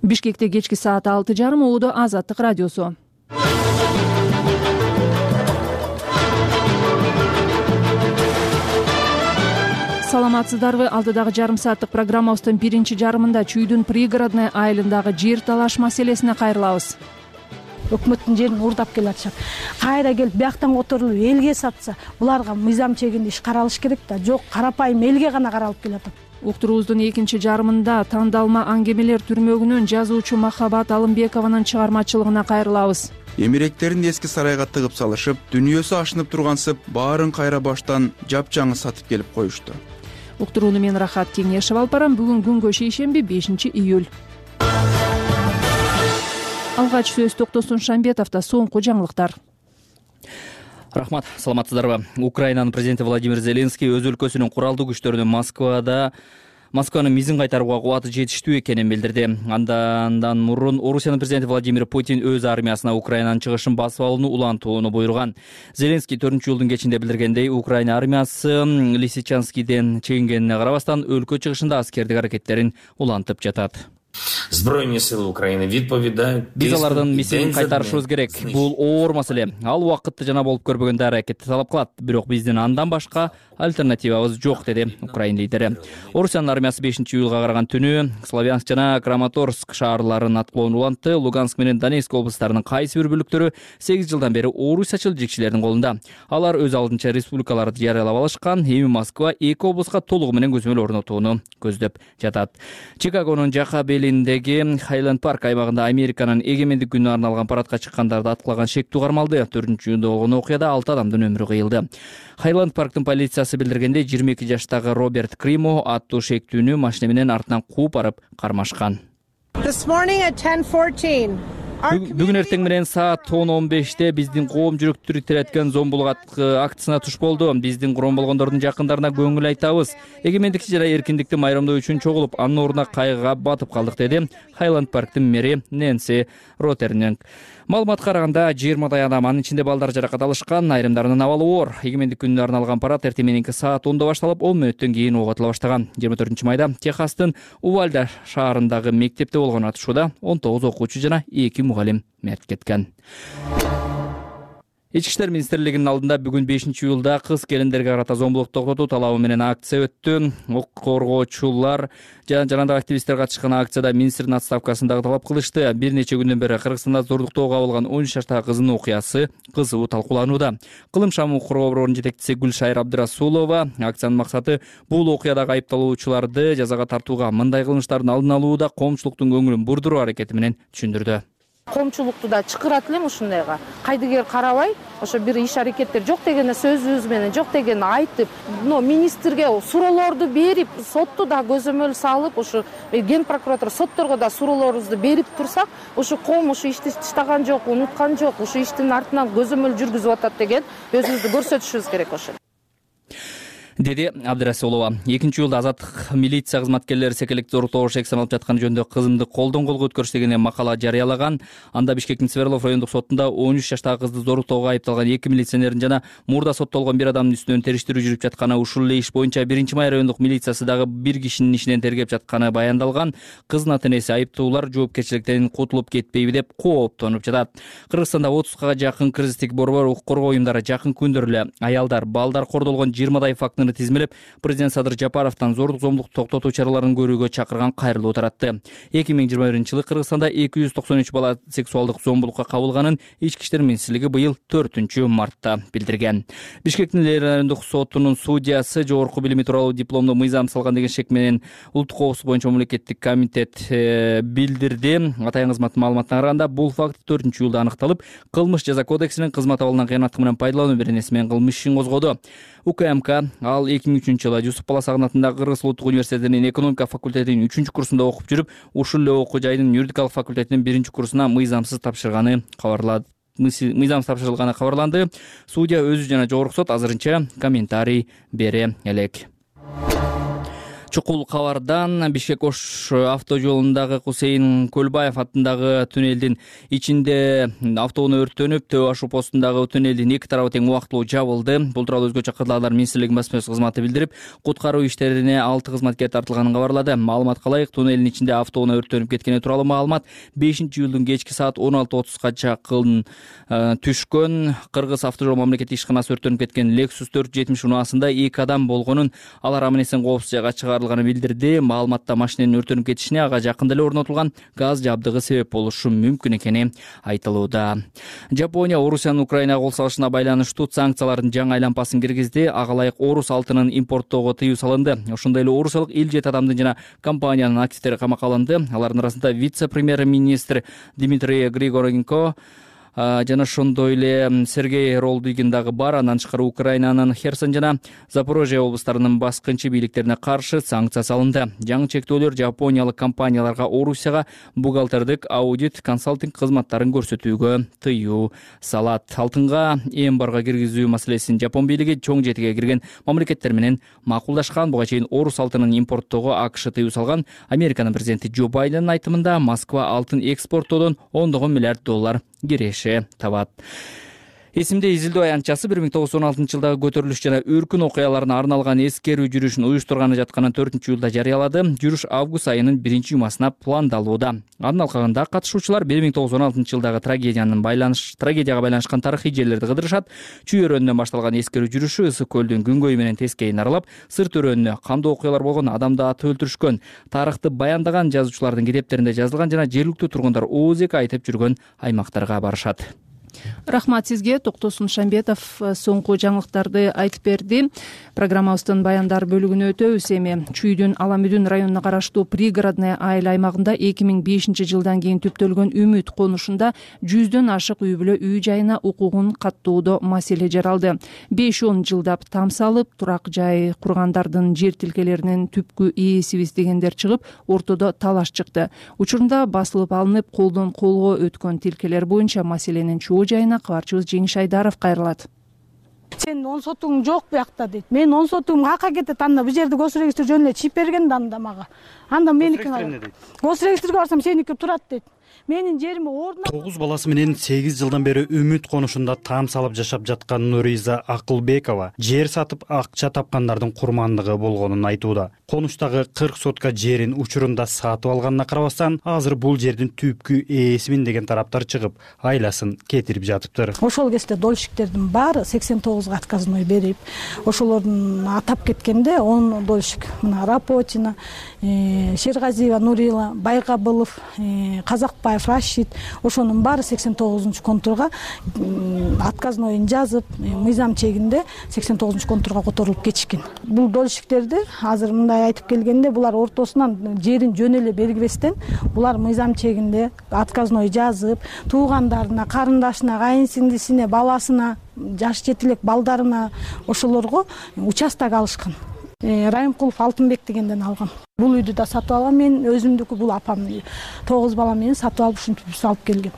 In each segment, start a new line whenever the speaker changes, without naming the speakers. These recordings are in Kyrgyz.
Бишкекте кечки саат 6:30 ууда Азаттык радиосу. Саламатсыздарбы? Алдыдагы жарым сааттык программабыздын биринчи жарымында Чүйдүн пригородный айылындагы жер талаш маселесине кайрылабыз.
Өкмөттүн жерин уурдап келатышат. Кайра келип бияктан которулуп элге сатса, буларга мыйзам чегинде иш каралыш керек да. Жок, карапайым элге гана каралып келатат.
Уктуруубуздун экинчи жарымында тандалма аңгемелер түрмөгүнүн жазуучу Махабат Алымбекованын чыгармачылыгына кайрылабыз.
Эмиректерин эски сарайга тыгып салышып, дүйнөсү ашынып тургансып, баарын кайра баштан жапжаңы сатып келип коюшту.
Уктурууну мен Рахат Кеңешев алып барам. Бүгүн күнгө шейшемби 5 июль. Алгач сөз Токтосун Шамбетовдо соңку жаңылыктар.
Рахмат, саламатсыздарбы? Украинанын президенти Владимир Зеленский өз өлкөсүнүн куралдуу күчтөрүнүн Москванын мизин кайтарууга кубаты жетиштүү экенин билдирди. Андан мурун Орусиянын президенти Владимир Путин өз армиясына Украинанын чыгышын басып алууну улантууну буйруган. Зеленский 4-июлдун кечинде билдиргендей, Украина армиясы Лисичанскийден чегингенине карабастан өлкө чыгышында аскердик аракеттерин улантып жатат.
Збройные силы Украины відповідають.
Биз алардын мисин кайтарышыбыз керек. Бул оор маселе. Ал убакытты жана болуп көрбөгөндө аракетти талап кылат. Бирок биздин андан башка альтернативабыз жок, деди Украина лидери. Орусиянын армиясы 5-июлга караган түнү Славянск жана Краматорск шаарларын аткылоону улантты. Луганск менен Донецк облустарынын кайсы бир бөлүктөрү 8 жылдан бери орусчачыл жигчилердин колунда. Алар өз алдынча республикаларды жарыялап алышкан. Эми Москва эки облуска толугу менен көзөмөл орнотууну көздөп жатат. Чикагонун жака белиндеги Хайленд парк аймагында Американын эгемендик күнүнө арналган парадка чыккандарды аткылаган шектүү кармалды. 4-июлда болгон окуяда 6 адамдын өмүрү кыйылды. Хайленд парктын полициясы билдиргендей, 22 жаштагы Роберт Кримо аттуу шектүүнү машина менен артынан кууп барып кармашкан. Бүгүн эртең менен саат 10:15 биздин коом жүрөктү тиреткен зомбулук акциясына туш болду. Биздин курман болгондордун жакындарына көңүл айтабыз. Эгемендикти жана эркиндикти майрамдоо үчүн чогулуп, анын ордуна кайгыга батып калдык, деди Хайленд парктын мэри Нэнси Ротернинг. Маалыматка караганда 20 адам, анын ичинде балдар жаракат алышкан, айрымдарынын абалы оор. Эгемендик күнүнө арналган парад эртең мененки саат 10:00 башталып, 10 мүнөттөн кийин оготула баштаган. 24-майда Техастын Увальда шаарындагы мектепте болгон атышууда 19 окуучу жана 2 мугалим мерт кеткен. Ички иштер министрлигинин алдында бүгүн 5-июлда кыз келиндерге карата зомбулук токтотуу талабы менен акция өттү. Укук коргоочулар жана жанагы активисттер катышкан акцияда министрдин отставкасын дагы талап кылышты. Бир нече күндөн бери Кыргызстанда зордуктоого кабылган 13 жаштагы кыздын окуясы кызуу талкууланууда. Кылым шамы коргоо борборунун жетекчиси Гүлшайыр Абдырасулова акциянын максаты бул окуядагы айыпталуучуларды жазага тартууга, мындай кылмыштардын алдын алууда коомчулуктун көңүлүн бурдуруу аракети менен түшүндүрдү.
Коомчулукту да чакырат элем ушундайга. Кайдыгер карабай, ошо бир иш аракеттер жок дегенде сөзүбүз менен, жок дегенди айтып, министрге суроолорду берип, сотту да көзөмөл салып, ушу ген прокуратура сотторго да суроолорубузду берип турсак, ушу коом ушу ишти таштаган жок, унуткан жок, ушу иштин артынан көзөмөл жүргүзүп атат деген өзүбүздү көрсөтүшүбүз керек ошо.
Деди Абдырасулова. 2-июлда азаттык милиция кызматкерлери секелек зоруктоого шексен алып жатканы жөнүндө кызымды колдон колго өткөрүш деген макала жарыялаган. Анда Бишкектин Свердлов райондук сотунда 13 жаштагы кызды зоруктоого айыпталган 2 милиционердин жана мурда соттолгон бир адамдын үстүнөн териштирүү жүрүп жатканы, ушул эле иш боюнча 1-май райондук милициясы дагы бир кишинин ишинен тергеп жатканы баяндалган. Кыздын ата-энеси айыптуулар жоопкерчиликтен кутулуп кетпейби деп кооптонуп жатат. Кыргызстанда 30га жакын кризистик борбор, укук коргоо уюмдары жакын күндөр эле аялдар, балдар кордолгон 20 фактыны тизмелеп, президент Садыр Жапаровдон зордук зомбулук токтотуу чараларын көрүүгө чакырган кайрылуу таратты. 2021-жылы Кыргызстанда 293 бала сексуалдык зомбулукка кабылганын Ички иштер министрлиги быйыл 4-мартта билдирген. Бишкектин райондук сотунун судьясы жогорку билими тууралуу дипломду мыйзам салган деген шек менен улуттук коопсуздук боюнча мамлекеттик комитет билдирди. Атайын кызматтын маалыматына караганда, бул факт 4-июлда аныкталып, кылмыш жаза кодексинин кызмат абалынан кыянаттык менен пайдалануу беренеси менен кылмыш ишин козгоду. УКМК ал 2003-жылы Жусуп Баласагын атындагы Кыргыз улуттук университетинин экономика факультетинин 3-курсунда окуп жүрүп, ушул эле окуу жайдын юридикалык факультетинин 1-курсуна мыйзамсыз тапшырылганы кабарланды. Судья өзү жана жогорку сот азырынча комментарий бере элек. Чукул кабардан Бишкек Ош авто жолундагы Кусейин Көлбаев аттындагы туннелдин ичинде автоунаа өрттөнүп, Төө Ашу постундагы туннелдин эки тарабы тең убактылуу жабылды. Бул тууралуу өзгөчө Кырдаалдар министрлигинин басма сөз кызматы билдирип, куткаруу иштерине 6 кызматкер тартылганын кабарлады. Маалыматка ылайык, туннелдин ичинде автоунаа өрттөнүп кеткени тууралуу маалымат 5-июлдун кечки саат 16:30 чакын түшкөн. Кыргыз автожол мамлекеттик ишканасы өрттөнүп кеткен Lexus 470 унаасында 2 адам болгонун, алар аман эсен коопсуз жайга чыгарылганын билдирди. Маалыматта машинанын өрттөнүп кетишине ага жакында эле орнотулган газ жабдыгы себеп болушу мүмкүн экени айтылууда. Жапония Орусиянын Украинага кол салышына байланыштуу санкциялардын жаңы айлампасын киргизди. Ага ылайык орус алтынын импорттоого тыюу салынды. Ошондой эле орусиялык 57 адамдын жана компаниянын активдери камакка алынды. Алардын арасында вице-премьер-министр Дмитрий Григоренко жана ошондой эле Сергей Ролдыгин дагы бар. Андан тышкары Украинанын Херсон жана Запорожье облустарынын баскынчы бийликтерине каршы санкция салынды. Жаңы чектөөлөр жапониялык компанияларга Орусияга бухгалтердик, аудит, консалтинг кызматтарын көрсөтүүгө тыюу салат. Алтынга эмбарго киргизүү маселесин Жапон бийлиги чоң жетиге кирген мамлекеттер менен макулдашкан. Буга чейин орус алтынын импорттоого АКШ тыюу салган. Американын президенти Джо Байдендин айтымында Москва алтын экспорттоодон $10 миллиард киреше табат. Эсимде изилдөө аянтчасы 1916 жылдагы көтөрүлүш жана өркүн окуяларына арналган эскерүү жүрүшүн уюштурганы жатканын 4-июлда жарыялады. Жүрүш август айынын 1-жумасына пландалууда. Анын алкагында катышуучулар 1916 жылдагы трагедияга байланышкан тарыхый жерлерди кыдырышат. Чүй өрөөнүнөн башталган эскерүү жүрүшү Ысык көлдүн күнгөйү менен тескейин аралап, сырт өрөөнүнө кандуу окуялар болгон, адамды атып өлтүрүшкөн, тарыхты баяндаган жазуучулардын китептеринде жазылган жана жергиликтүү тургундар ооз-эки айтып жүргөн аймактарга барышат.
Рахмат сизге, Токтосун Шамбетов соңку жаңылыктарды айтып берди. Программабыздын баяндар бөлүгүнө өтөбүз эми. Чүйдүн Аламүдүн районуна караштуу Пригородный айыл аймагында 2005 жылдан кийин түптөлгөн Үмүт конушунда 100дөн ашык үй бүлө үй жайына укугун каттоодо маселе жаралды. 5-10 жылдап там салып, турак жай кургандардын жер тилкелеринин түпкү ээсибиз дегендер чыгып, ортодо талаш чыкты. Учурунда басылып алынып, колдон колго өткөн тилкелер боюнча маселенин чоо жайына кабарчыбыз Жеңиш Айдаров кайрылат.
Сен 10 сотуң жок буякта дейт. Мен 10 сотугум кака кетет, анда бул жерде госрегистр жөн эле чип берген да анда мага. Анда меники госрегистрге барсам сеники турат дейт. Менин жериме ордуна
9 баласы менен 8 жылдан бери Үмүт конушунда там салып жашап жаткан Нуриза Акылбекова жер сатып акча тапкандардын курмандыгы болгонун айтууда. Конуштагы 40 сотка жерин учурунда сатып алганына карабастан, азыр бул жердин түпкү ээсимин деген тараптар чыгып, айласын кетирип жатыптыр.
Ошол кезде дольщиктердин баары 89 отказной берип, ошолордун атап кеткенде 10 дольщик, мына Рапотина, Шергазиева Нурила, Байгабылов, Казакбаев Рашид, ошонун баары 89-контурга отказнойун жазып, мыйзам чегинде 89-контурга которулуп кетишкен. Бул дольщиктерди азыр мындай айтып келгенде, булар ортосунан жерин жөн эле белгибестен, булар мыйзам чегинде отказной жазып, туугандарына, карындашына, кайынсиңдисине, баласына, жаш жетилек балдарына ошолорго участок алышкан. Райымкулов Алтынбек дегенден алган. Бул үйдү да сатып алган, мен өзүмдүкү, бул апам 9 бала менен сатып алып ушинтип салып келген.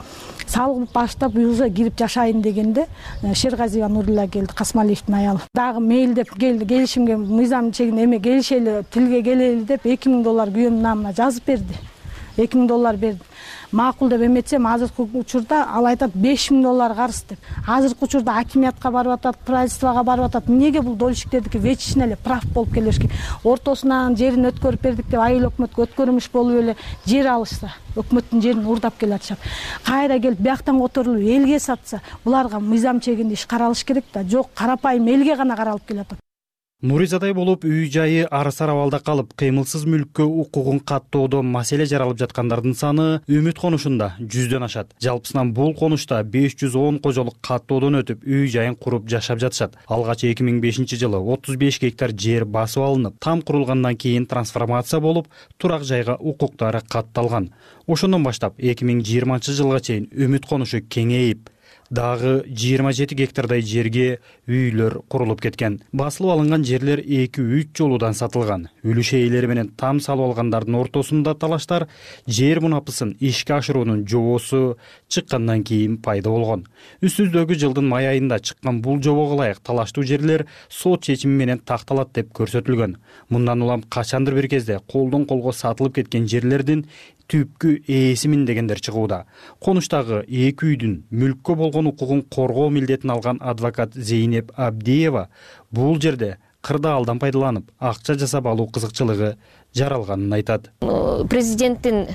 Салып баштап уже кирип жашайын дегенде Шергазиева Нурила келди, Касмалиевдин аялы. Дагы мейлдеп келди, келишимге мыйзам чегинде эме келишели, тилге келели деп $2000 күйөөмдүн намына жазып берди. $2000 берди. Макул деп эметсем, азыркы учурда ал айтат $5000 карыз деп. Азыркы учурда акимиятка барып атат, правительствого барып атат. Эмнеге бул дольщиктердики вечный эле прав болуп келишкен? Ортосунан жерин өткөрүп бердик деп айыл өкмөткө өткөрүмүш болуп эле жер алышса, өкмөттүн жерин урдап келе атышат. Кайра келип бияктан которулуп элге сатса, буларга мыйзам чегинде иш каралыш керек да. Жок, карапайым элге гана каралып келатат.
Нуризадай болуп үй жайы арысар абалда калып, кыймылсыз мүлккө укугун каттоодо маселе жаралып жаткандардын саны Үмүт конушунда 100дөн ашат. Жалпысынан бул конушта 510 кожолук каттоодон өтүп, үй жайын куруп жашап жатышат. Алгач 2005 жылы 35 гектар жер басып алынып, там курулгандан кийин трансформация болуп, турак жайга укуктары катталган. Ошондон баштап 2020 жылга чейин Үмүт конушу кеңейип, Дагы 27 гектардай жерге үйлөр курулуп кеткен. Басылып алынган жерлер 2-3 жолудан сатылган. Үлүш ээлери менен там салып алгандардын ортосунда талаштар жер мунапысын ишке ашыруунун жобосу чыккандан кийин пайда болгон. Үстүздөгү жылдын май айында чыккан бул жобого ылайык талаштуу жерлер сот чечими менен такталат деп көрсөтүлгөн. Мындан улам качандыр бир кезде колдон колго сатылып кеткен жерлердин түпкү ээсимин дегендер чыгууда. Конуштагы 2 үйдүн мүлккө болгон укугун коргоо милдетин алган адвокат Зейнеп Абдиева бул жерде кырдаалдан пайдаланып акча жасап алуу кызыкчылыгы жаралганын айтат.
Президенттин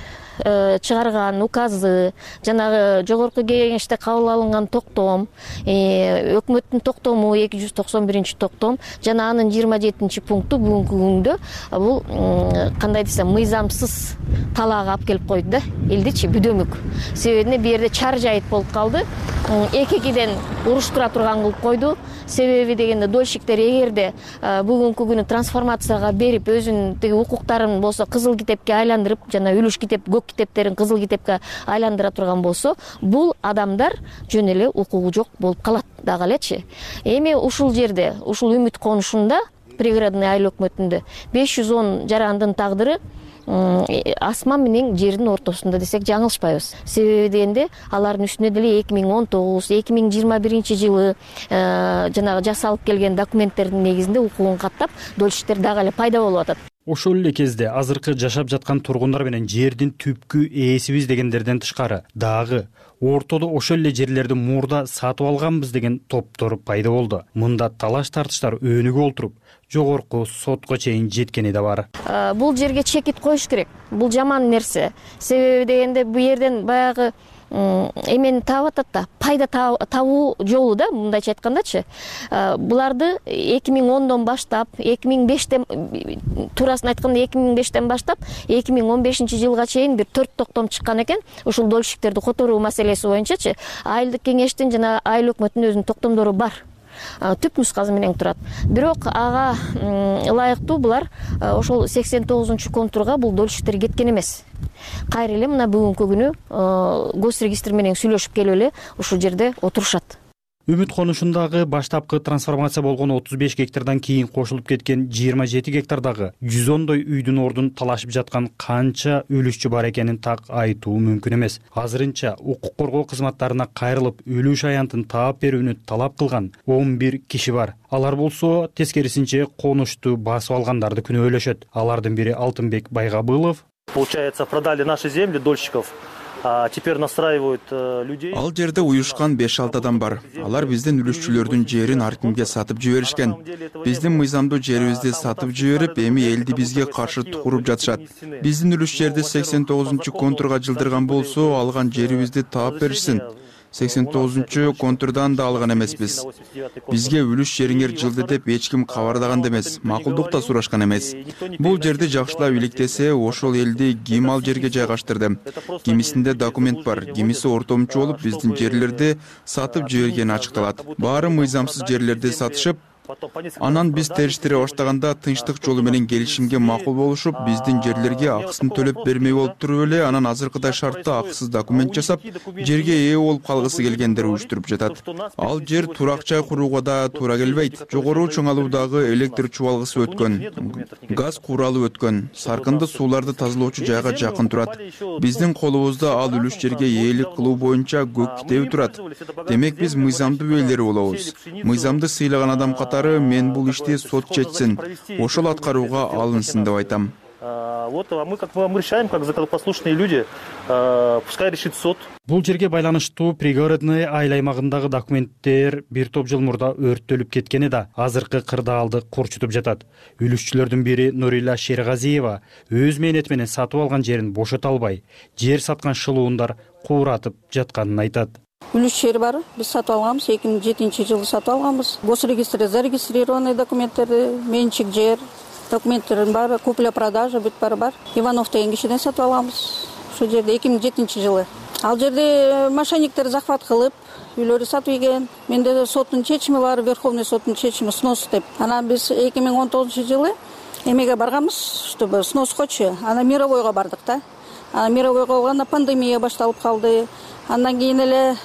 чыгарган указы, жанагы жогорку кеңеште кабыл алынган токтом, өкмөттүн токтому 291 токтом жана анын 27 пункту бүгүнкү күндө бул кандай десем мыйзамсыз талаага алып келип койду да, элдичи бүдөмүк. Себебине бу жерде чар жайыт болуп калды. Экиден уруштура турган кылып койду. Себеби дегенде дольщиктер эгерде бүгүнкү күнү трансформацияга берип өзүнүн тиги укуктарын болсо кызыл китепке айландырып, жана үлүш китеп, көк китептерин кызыл китепке айландыра турган болсо, бул адамдар жөн эле укугу жок болуп калат дагы элечи. Эми ушул жерде, ушул Үмүт конушунда, пригородный айыл өкмөтүндө 510 жарандын тагдыры асман менен жердин ортосунда десек жаңылышпайбыз. Себеби дегенде алардын үстүнө деле 2019-2021 жылы жанагы жасалып келген документтердин негизинде укугун каттап, дольщиктер дагы эле пайда болуп атат.
Ошол эле кезде азыркы жашап жаткан тургундар менен жердин түпкү ээсибиз дегендерден тышкары дагы ортодо ошол эле жерлерди мурда сатып алганбыз деген топтор пайда болду. Мында талаш тартыштар өөнүгө олтуруп жогорку сотко чейин жеткени да бар.
Бул жерге чекит коюш керек. Бул жаман нерсе. Себеби дегенде бу жерден баягы эмени таап атат да, пайда табуу жолу да, мындайча айткандачы. Буларды 2010дон баштап, 2005тен туурасын айтканда 2005тен баштап 2015 жылга чейин бир 4 токтом чыккан экен. Ушул дольщиктерди которуу маселеси боюнчачы айылдык кеңештин жана айыл өкмөтүнүн өзүнүн токтомдору бар. Түп нускасы менен турат. Бирок ага ылайыктуу булар ошол 89-контурга бул дольщиктер кеткен эмес. Кайра эле мына бүгүнкү күнү госрегистр менен сүйлөшүп келип эле ушул жерде отурушат.
Үмүт конушундагы баштапкы трансформация болгон 35 гектардан кийин кошулуп кеткен 27 гектардагы 110дой үйдүн ордун талашып жаткан канча үлүшчү бар экенин так айтуу мүмкүн эмес. Азырынча укук коргоо кызматтарына кайрылып үлүш аянтын таап берүүнү талап кылган 11 киши бар. Алар болсо тескерисинче конушту басып алгандарды күнөөлөшөт. Алардын бири Алтынбек Байгабылов.
Получается, продали наши земли дольщиков. Теперь настраивают людей.
Ал жерде уюшкан 5-6 адам бар. Алар биздин үлүшчүлөрдүн жерин ар кимге сатып жиберишкен. Биздин мыйзамдуу жерибизди сатып жиберип, эми элди бизге каршы тукуруп жатышат. Биздин үлүш жерди 89-контурга жылдырган болсо, алган жерибизди таап беришсин. 89-контурдан да алган эмеспиз. Бизге үлүш жериңер жылды деп эч ким кабардаган эмес, макулдук да сурашкан эмес. Бул жерди жакшылап иликтесе, ошол элди ким ал жерге жайгаштырды? Кимисинде документ бар, кимиси ортомчу болуп биздин жерлерди сатып жибергени ачыкталат. Баары мыйзамсыз жерлерди сатышып, анан биз териштире баштаганда тынчтык жолу менен келишимге макул болушуп, биздин жерлерге акысын төлөп бермей болуп туруп эле, анан азыркыдай шартта акысыз документ жасап, жерге ээ болуп калгысы келгендер уюштуруп жатат. Ал жер турак жай курууга да туура келбейт. Жогору чоңалуудагы электр чубалгысы өткөн, газ куралы өткөн, саркынды сууларды тазалоочу жайга жакын турат. Биздин колубузда ал үлүш жерге ээлик кылуу боюнча көк китеби турат. Демек биз мыйзамдуу ээлери болобуз. Мыйзамды сыйлаган адам катары мен бул ишти сот чечсин, ошол аткарууга алынсын деп айтам.
Вот мы решаем, как законопослушные люди, пускай решит суд.
Бул жерге байланыштуу пригородный айыл аймагындагы документтер бир топ жыл мурда өрттөлүп кеткени да азыркы кырдаалды корчутуп жатат. Үлүшчүлөрдүн бири Нурила Шергазиева өз мээнети менен сатып алган жерин бошото албай, жер саткан шылуундар кууратып жатканын айтат.
Үлүш жер бар, биз сатып алганбыз, 2007 жылы сатып алганбыз. Госрегистрде зарегистрированный документтерди, менчик жер, документтердин баары, купля-продажа бүт баары бар. Иванов деген кишиден сатып алганбыз. Ошол жерде 2007 жылы. Ал жерде мошенниктер захват кылып, үйлөрдү сатып ийген. Менде соттун чечими бар, Верховный соттун чечими снос деп. Анан биз 2019 жылы эмеге барганбыз, чтобы сноскочу. Анан мировойго бардык да. Анан мировойго болгондо пандемия башталып калды. Андан кийин эле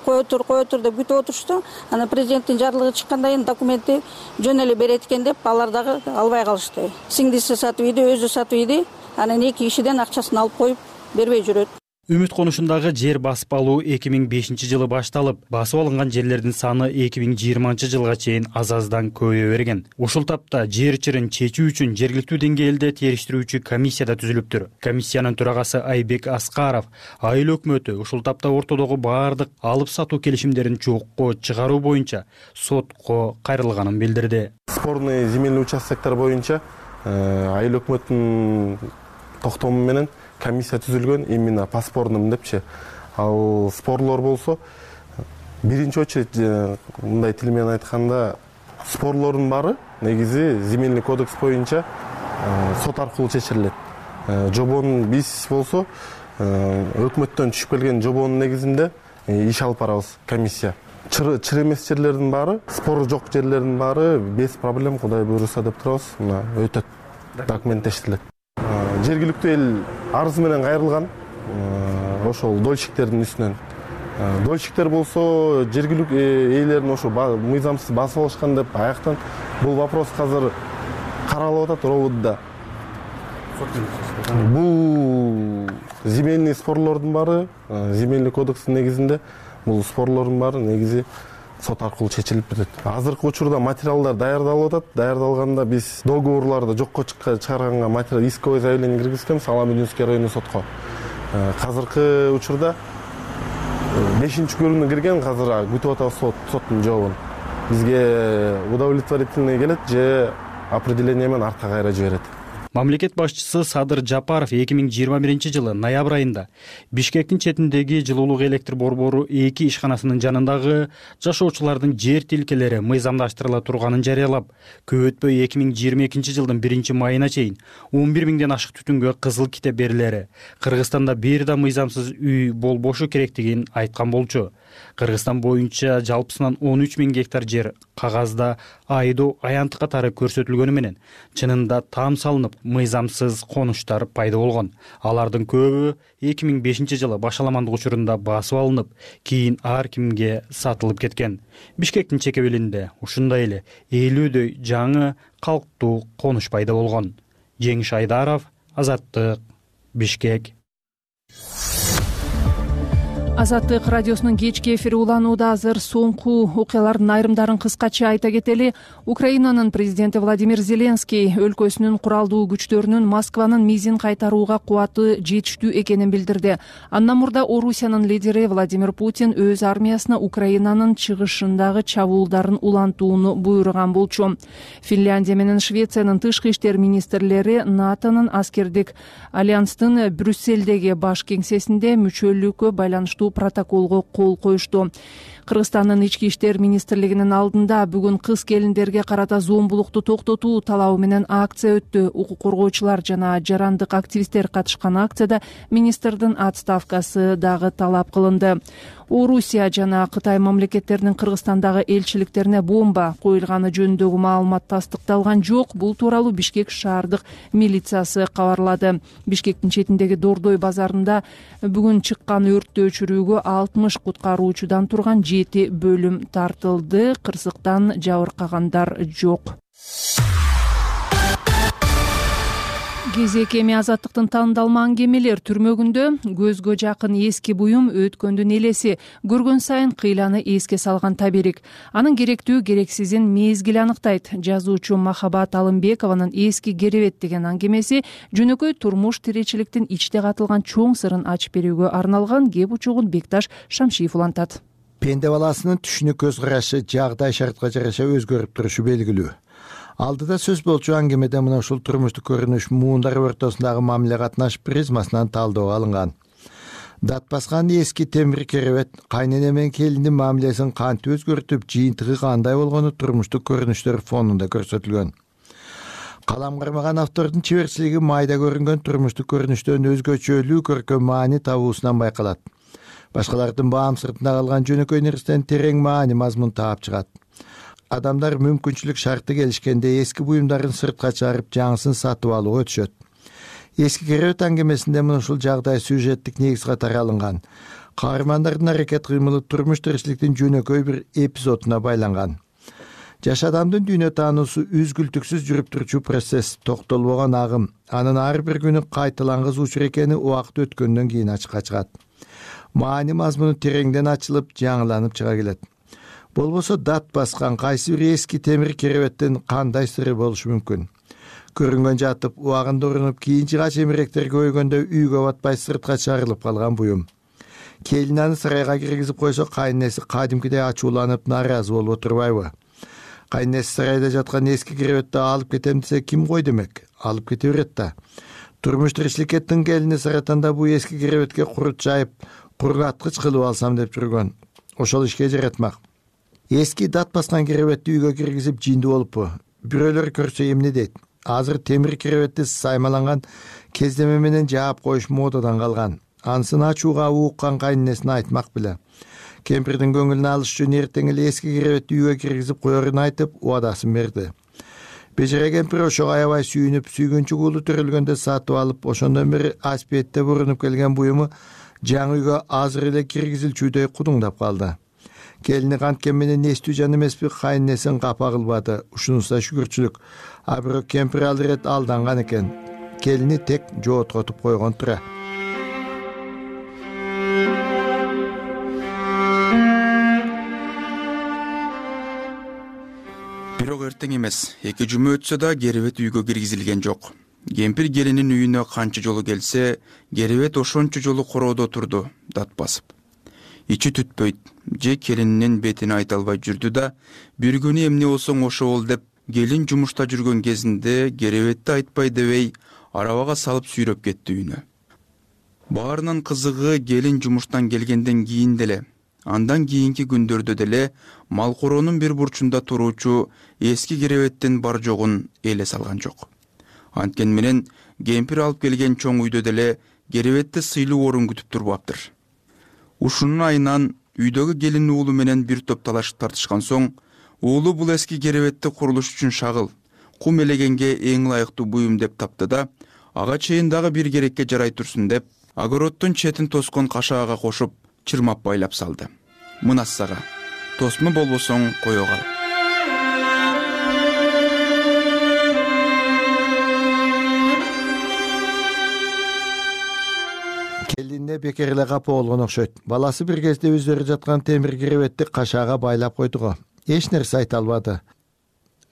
кое тур деп күтүп отурушту. Анан президенттин жарлыгы чыккандан кийин документти жөн эле берет экен деп алар дагы албай калышты. Сиңдиси сатып ийди, өзү сатып ийди. Анан эки кишиден акчасын алып коюп бербей жүрөт.
Үмүт конушундагы жер басып алуу 2005-жылы башталып, басып алынган жерлердин саны 2020-жылга чейин аз-аздан көбөйө берген. Ушул тапта жер чырын чечүү үчүн жергиликтүү деңгээлде териштирүүчү комиссия да түзүлүптүр. Комиссиянын төрагасы Айбек Аскаров айыл өкмөтү ушул тапта ортодогу баардык алып сатуу келишимдерин жокко чыгаруу боюнча сотко кайрылганын билдирди.
Спорный земельный участоктор боюнча айыл өкмөттүн токтому менен комиссия түзүлгөн, именно по спорным депчи. Ал спорлор болсо, биринчи очередь мындай тил менен айтканда, спорлордун баары негизи земельный кодекс боюнча сот аркылуу чечилет. Жобонун биз болсо өкмөттөн түшүп келген жобонун негизинде иш алып барабыз комиссия. Чыр эмес жерлердин баары, спору жок жерлердин баары без проблем, Кудай буйруса деп турабыз, мына өтөт, документтештирилет. Жергиликтүү эл арыз менен кайрылган, ошол дольщиктердин үстүнөн. Дольщиктер болсо жергиликтүү ээлерин ошо мыйзамсыз басып алышкан деп аяктан бул вопрос азыр каралып атат РОВДда. Бул земельный спорлордун баары, земельный кодекстин негизинде бул спорлордун баары негизи сот аркылуу чечилип кетет. Азыркы учурда материалдар даярдалып атат. Даярдалганда биз договорларды жокко чыгарганга материал исковое заявление киргизгенбиз Аламединский райондук сотко. Азыркы учурда 5-көрүнү кирген, азыр күтүп атабыз соттун жообун. Бизге удовлетворительный келет же определение менен артка кайра жиберет.
Мамлекет башчысы Садыр Жапаров 2021-жылы ноябрь айында Бишкектин четиндеги жылуулук электр борбору 2 ишканасынын жанындагы жашоочулардын жер тилкелери мыйзамдаштырыла турганын жарыялап, көп өтпөй 2022-жылдын 1-майына чейин 11 000ден ашык түтүнгө кызыл китеп берилери, Кыргызстанда бир да мыйзамсыз үй болбошу керектигин айткан болчу. Кыргызстан боюнча жалпысынан 13 000 гектар жер кагазда айдоо аянтык катары көрсөтүлгөнү менен чынында там салынып, мыйзамсыз конуштар пайда болгон. Алардын көбү 2005-жылы башаламандык учурунда басып алынып, кийин ар кимге сатылып кеткен. Бишкектин чекебелинде ушундай эле 50дөй жаңы калктуу конуш пайда болгон. Жеңиш Айдаров, Азаттык, Бишкек.
Азаттык радиосунун кечки эфири уланууда. Азыр соңку окуялардын айрымдарын кыскача айта кетели. Украинанын президенти Владимир Зеленский өлкөсүнүн куралдуу күчтөрүнүн Москванын мизин кайтарууга кубаты жетиштүү экенин билдирди. Андан мурда Орусиянын лидери Владимир Путин өз армиясына Украинанын чыгышындагы чабуулдарын улантууну буйруган болчу. Финляндия менен Швециянын тышкы иштер министрлери НАТОнун аскердик альянстын Брюссельдеги баш кеңсесинде мүчөлүккө байланыштуу протоколго кол коюшту. Кыргызстандын ички иштер министрлигинин алдында бүгүн кыз келиндерге карата зомбулукту токтотуу талабы менен акция өттү. Укук коргоочулар жана жарандык активисттер катышкан акцияда министрдин отставкасы дагы талап кылынды. Орусия жана Кытай мамлекеттеринин Кыргызстандагы элчиликтерине бомба коюлганы жөнүндөгү маалымат тастыкталган жок. Бул тууралуу Бишкек шаардык милициясы кабарлады. Бишкектин четиндеги Дордой базарында бүгүн чыккан өрттү өчүрүүгө 60 куткаруучудан турган 7 бөлүм тартылды. Кырсыктан жабыркагандар жок. Кезек эми Азаттыктын таандалма аңгемелер түрмөгүндө көзгө жакын эски буюм өткөндүн элеси, көргөн сайын кыйланы эске салган таберик. Анын керектүү керексизин мезгил аныктайт. Жазуучу Махабат Алымбекованын эски керебет деген аңгемеси жөнөкөй турмуш тиричиликтин ичте катылган чоң сырын ачып берүүгө арналган. Кеп учугун Бекташ Шамшиев улантат.
Пенде баласынын түшүнүк көз карашы жагдай шартка жараша өзгөрүп турушу белгилүү. Алдыда сөз болчу аңгемеде мына ушул турмуштук көрүнүш муундар ортосундагы мамиле катнаш призмасынан талдоо алынган. Дат баскан эски темир керебет кайнене менен келиндин мамилесин кантип өзгөртүп, жыйынтыгы кандай болгону турмуштук көрүнүштөр фонунда көрсөтүлгөн. Калам кармаган автордун чеберчилиги майда көрүнгөн турмуштук көрүнүштөн өзгөчөлүү көркөм маани табуусунан байкалат. Башкалардын баам сыртында калган жөнөкөй нерседен терең маани мазмун таап чыгат. Адамдар мүмкүнчүлүк шарты келишкенде эски буюмдарын сыртка чыгарып жаңысын сатып алууга өтүшөт. Эски керебет аңгемесинде мына ушул жагдай сюжеттик негиз катары алынган. каармандардын аракет кыймылы турмуш тиричиликтин жөнөкөй бир эпизодуна байланган. Жаш адамдын дүйнө таануусу үзгүлтүксүз жүрүп турчу процесс, токтолбогон агым. Анын ар бир күнү кайталангыс учур экени убакыт өткөндөн кийин ачыкка чыгат. Маани мазмуну тереңден ачылып, жаңыланып чыга келет. Болбосо дат баскан кайсы бир эски темир керебеттин кандай сыры болушу мүмкүн? Көрүнгөн жатып, убагында урунуп, кийин жыгач эмеректер көйгөндө үйгө батпай сыртка чыгарылып калган буюм. Келин аны сарайга киргизип койсо, кайнеси кадимкидей ачууланып, нааразы болуп отурбайбы? Кайнеси сарайда жаткан эски керебетти алып кетем десе, ким кой демек? Алып кете берет да. Турмуш тиричиликке тың келини саратанда бу эски керебетке курут жайып, кургаткыч кылып алсам деп жүргөн. Ошол ишке жаратмак. Эски дат баскан керебетти үйгө киргизип жинди болуппу? Бирөөлөр көрсө эмне дейт? Азыр темир керебетти саймаланган кездеме менен жаап коюш модадан калган. Ансын ачууга ууккан кайнесине айтмак беле. Кемпирдин көңүлүн алыш үчүн эртең эле эски керебетти үйгө киргизип коерун айтып, убадасын берди. Бежере кемпир ошого аябай сүйүнүп, сүйгүнчү куулу төрөлгөндө сатып алып, ошондон бери аспетте бурунуп келген буюму жаңы үйгө азыр эле киргизилчүдөй кудуңдап калды. Келини канткен менен эстүү жан эмеспи, кайнесин капа кылбады. Ушунуса шүгүрчүлүк. А бирок кемпир ал ирет алданган экен. Келини тек жооткотуп койгон тура.
Бирок эртең эмес, 2 жума өтсө да керебет үйгө киргизилген жок. Кемпир келинин үйүнө канча жолу келсе, керебет ошончо жолу короодо турду, дат басып. Ичи түтпөйт, же келининин бетине айта албай жүрдү да, бир күнү эмне болсоң ошо бол деп, келин жумушта жүргөн кезинде керебетти айтпай дебей, арабага салып сүйрөп кетти үйүнө. Баарынан кызыгы келин жумуштан келгенден кийин деле, андан кийинки күндөрдө деле малкороонун бир бурчунда туруучу эски керебеттин бар жогун эле салган жок. Анткени менен кемпир алып келген чоң үйдө деле керебетти сыйлуу орун күтүп турбаптыр. Ушунун айынан үйдөгү келин уулу менен бир топ талашып тартышкан соң, уулу бул эски керебетти курулуш үчүн шагыл, кум элегенге эң ылайыктуу буюм деп тапты да, ага чейин дагы бир керекке жарай турсун деп, огороддун четин тоскон кашаага кошуп, чырмап байлап салды. Мынас сага, тосмо болбосоң кое кал.
Келине бекер эле капа болгон окшойт. Баласы бир кезде өздөрү жаткан темир керебетти кашаага байлап койдуго. Эч нерсе айта албады.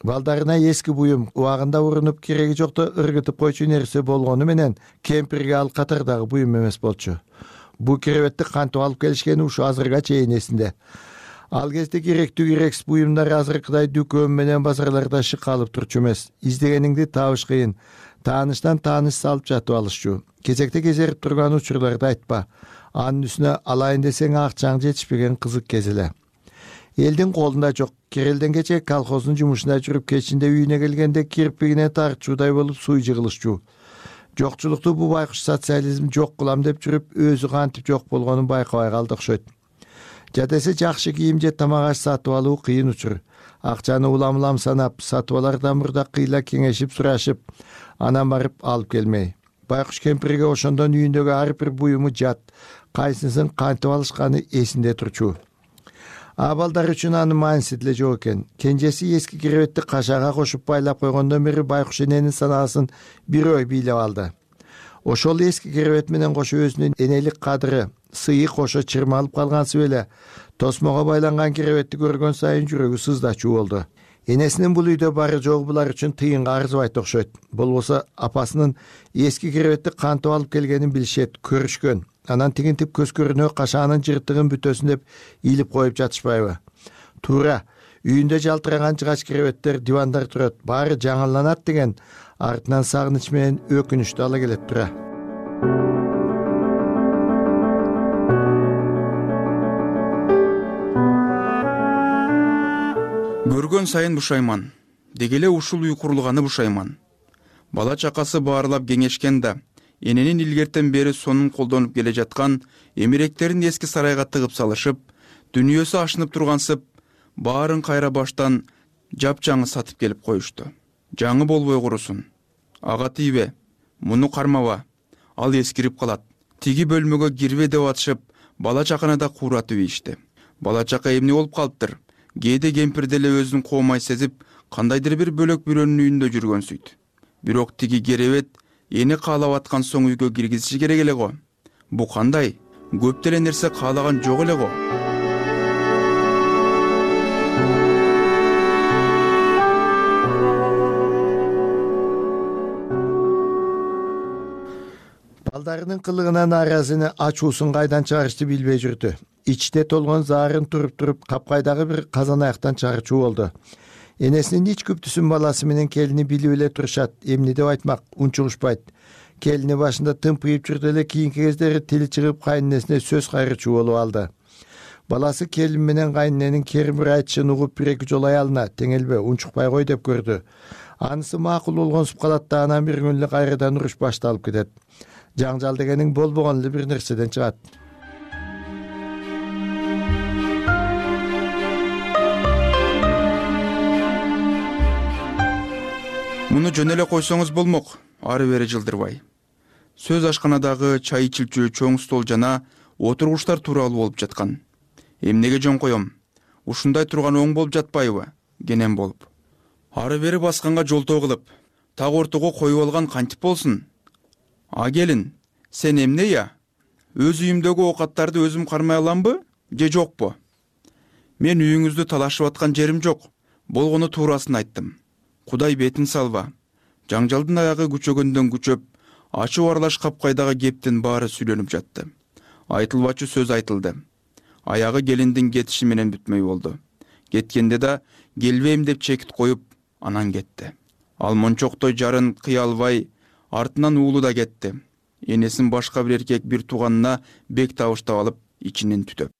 Балдарына эски буюм убагында урунуп кереги жокто ыргытып койчу нерсе болгону менен кемпирге ал катардагы буюм эмес болчу. Бу керебетти кантип алып келишкени ушу азырга чейин эсинде. Ал кезде керектүү керексиз буюмдар азыркыдай дүкөн менен базарларда шыкалып турчу эмес. Издегениңди табыш кыйын. Тааныштан тааныш салып жатып алышчу. Кезекте кезерип турган учурларды айтпа. Анын үстүнө алайын десең акчаң жетишпеген кызык кез эле. Элдин колунда жок. Керелден кече колхоздун жумушуна жүрүп кечинде үйүнө келгенде кирпигине тартчуудай болуп суй жыгылышчу. Жокчулукту бу байкуш социализм жок кылам деп жүрүп, өзү кантип жок болгонун байкабай калды окшойт. Жадесе жакшы кийим же тамак аш сатып алуу кыйын учур. Акчаны улам-улам санап, сатып алардан мурда кыйла кеңешип сурашып, анан барып алып келмей. Байкуш кемпирге ошондон үйүндөгү ар бир буюму жат, кайсысын кантип алышканы эсинде турчу. Балдар үчүн анын мааниси деле жок экен. Кенжеси эски керебетти кашаага кошуп байлап койгондон бери байкуш эненин санаасын бир ой бийлеп алды. Ошол эски керебет менен кошо өзүнүн энелик кадыры, сыйы кошо чырмалып калгансып эле, тосмого байланган керебетти көргөн сайын жүрөгү сыздачуу болду. Энесинин бул үйдө бары жогу булар үчүн тыйынга арзыбайт окшойт. Болбосо апасынын эски керебетти кантип алып келгенин билишет, көрүшкөн. Анан тигинтип көз көрүнө кашаанын жыртыгын бүтөсүн деп илип коюп жатышпайбы? Туура, үйүндө жалтыраган жыгач керебеттер, дивандар турат, баары жаңыланат деген артынан сагыныч менен өкүнүчтү ала келет тура.
Көргөн сайын бушайман, дегеле ушул үй курулганы бушайман. Бала чакасы баарлап кеңешкен да, эненин илгертен бери сонун колдонуп келе жаткан эмеректерин эски сарайга тыгып салышып, дүйнөсү ашынып тургансып, баарын кайра баштан жапжаңы сатып келип коюшту. Жаңы болбой курусун. Ага тийбе, муну кармаба, ал эскирип калат. Тиги бөлмөгө кирбе деп атышып, бала чаканы кууратып ийишти. Бала чака эмне болуп калыптыр? Кээде кемпир деле өзүн коомай сезип, кандайдыр бир бөлөк бирөөнүн үйүндө жүргөнсүйт. Бирок тиги керебет эни каалап аткан соң үйгө киргизиши керек эле го. Бу кандай? Көп деле нерсе каалаган жок эле го.
Балдарынын кылыгынан нааразыны ачуусун кайдан чыгарышты билбей жүрдү. Ичте толгон заарын туруп капкайдагы бир казан аяктан чыгарчу болду. Энесинин ич күптүсүн баласы менен келини билип эле турушат. Эмне деп айтмак, унчугушпайт. Келини башында тымпыйып жүрдү эле, кийинки кездери тили чыгып кайненесине сөз кайрычуу болуп алды. Баласы келин менен кайнененин керимир айтышын угуп бир-эки жолу аялына теңелбе, унчукпай кой деп көрдү. Анысы макул болгонсуп калат да анан бир күн эле кайрадан уруш башталып кетет. Жаңжал дегениң болбогон эле бир нерседен чыгат.
Муну жөн эле койсоңуз болмок, ары бери жылдырбай. Сөз ашканадагы чай ичилчү чоң стол жана отургучтар тууралуу болуп жаткан. Эмнеге жөн коем? Ушундай турган оң болуп жатпайбы? Кенен болуп. Ары бери басканга жолтоо кылып, так ортого коюп алган кантип болсун? А келин, сен эмне я? Өз үйүмдөгү оокаттарды өзүм кармай аламбы, же жокпу? Мен үйүңүздү талашып аткан жерим жок. Болгону туурасын айттым. Кудай бетин салба. Жаңжалдын аягы күчөгөндөн күчөп, ачуу аралаш капкайдагы кептин баары сүйлөнүп жатты. Айтылбачу сөз айтылды. Аягы келиндин кетиши менен бүтмөй болду. Кеткенде да келбейм деп чекит коюп, анан кетти. Ал мончоктой жарын кыя албай, артынан уулу да кетти. Энесин башка бир эркек бир тууганына бек табыштап алып, ичинен түтөп.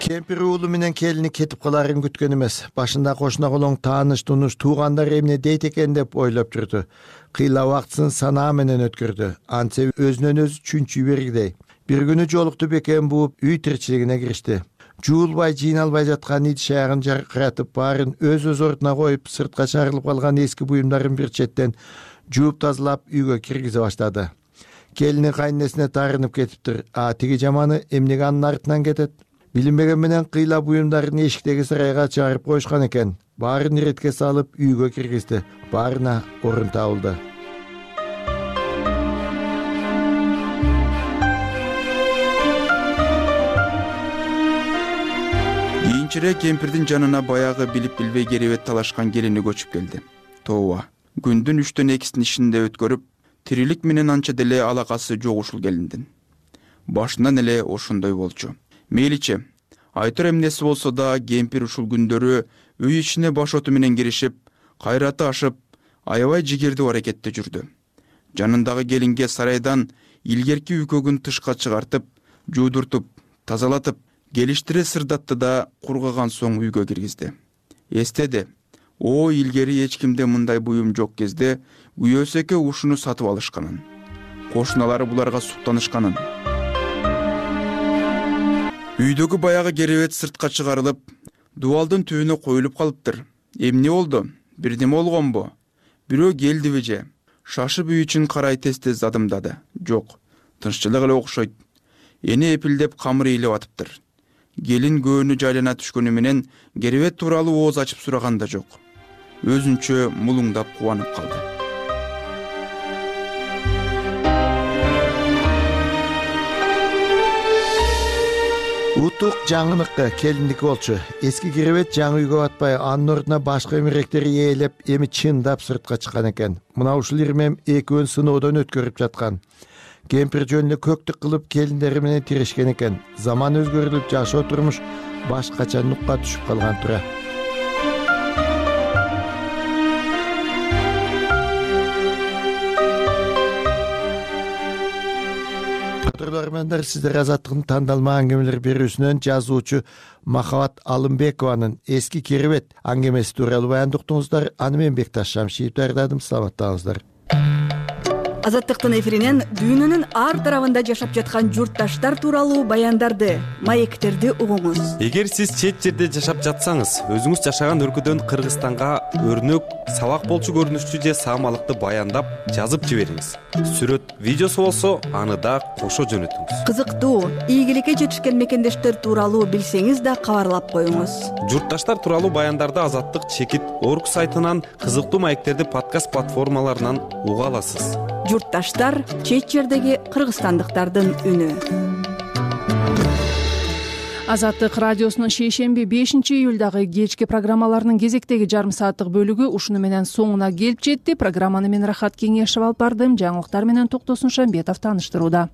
Кемпир уулу менен келини кетип каларын күткөн эмес. Башында кошуна колоң тааныш тунуш туугандар эмне дейт экен деп ойлоп жүрдү. Кыйла убактысын санаа менен өткөрдү. Антсе өзүнөн өзү чүнчүй бергидей. Бир күнү жолукту бекем бууп үй тиричилигине киришти. Жуулбай, жыйналбай жаткан идиш аягын жаркыратып, баарын өз ордуна коюп, сыртка чарылып калган эски буюмдарын бир четтен жууп тазалап үйгө киргизе баштады. Келини кайненесине таарынып кетиптир. Тиги жаманы эмнеге анын артынан кетет? Билинбеген менен кыйла буюмдарын эшиктеги сарайга чыгарып коюшкан экен. Баарын иретке салып үйгө киргизди. Баарына орун табылды.
Кийинчерээк кемпирдин жанына баягы билип билбей керебет талашкан келини көчүп келди. Тооба, күндүн 3төн 2син ишинде өткөрүп, тирилик менен анча деле алакасы жок ушул келиндин. Башынан эле ошондой болчу. Мейличи, айтыр эмнеси болсо да кемпир ушул күндөрү үй ичине башоту менен киришип, кайраты ашып, аябай жигердүү аракетте жүрдү. Жанындагы келинге сарайдан илгерки үйкөгүн тышка чыгартып, жуудуртуп, тазалатып, келиштире сырдатты да кургаган соң үйгө киргизди. Эстеди, илгери эч кимде мындай буюм жок кезде күйөөсү эке ушуну сатып алышканын. Кошуналары буларга суктанышканын. Үйдөгү баягы керебет сыртка чыгарылып, дубалдын түбүнө коюлуп калыптыр. Эмне болду? Бирдеме болгонбу? Бирөө келдиби же? Шашып үй ичин карай тез-тез адымдады. Жок, тынччылык эле окшойт. Эне эпилдеп камыр ыйлап атыптыр. Келин көөнү жайлана түшкөнү менен керебет тууралуу ооз ачып сураган да жок. Өзүнчө мулуңдап кубанып калды.
Утук жаңыныкка келиндики болчу. Эски керебет жаңы үйгө батпай, анын ордуна башка эмеректери ээлеп, эми чындап сыртка чыккан экен. Мына ушул ирмем экөөнү сыноодон өткөрүп жаткан. Кемпир жөнүнө көктүк кылып келиндери менен тирешкен экен. Заман өзгөрүлүп, жашоо турмуш башкача нукка түшүп калган тура. Кадырлармандар, сиздер Азаттыктын тандалма аңгемелер берүүсүнөн жазуучу Махабат Алымбекованын эски керебет аңгемеси тууралуу баяндоо уктуңуздар. Аны мен Бекташ Шамшиев даярдадым. Саламаттаңыздар.
Азаттыктын эфиринен дүйнөнүн ар тарабында жашап жаткан журтташтар тууралуу баяндарды, маектерди угуңуз.
Эгер сиз чет жерде жашап жатсаңыз, өзүңүз жашаган өлкөдөн Кыргызстанга өрнөк, сабак болчу көрүнүштүү же саамалыкты баяндап жазып жибериңиз. Сүрөт, видеосу болсо, аны да кошо жөнөтүңүз.
Кызыктуу, ийгиликке жетишкен мекендештер тууралуу билсеңиз да кабарлап коюңуз.
Журтташтар тууралуу баяндарды Азаттык чекит орг сайтынан, кызыктуу маектерди подкаст платформаларынан уга аласыз.
Журтташтар — чет жердеги кыргызстандыктардын үнү.
Азаттык радиосунун шейшемби 5-июлдагы кечки программаларынын кезектеги жарым сааттык бөлүгү ушуну менен соңуна келип жетти. Программаны мен Рахат Кеңешев алып бардым. Жаңылыктар менен Токтосун Шамбетов тааныштырууда.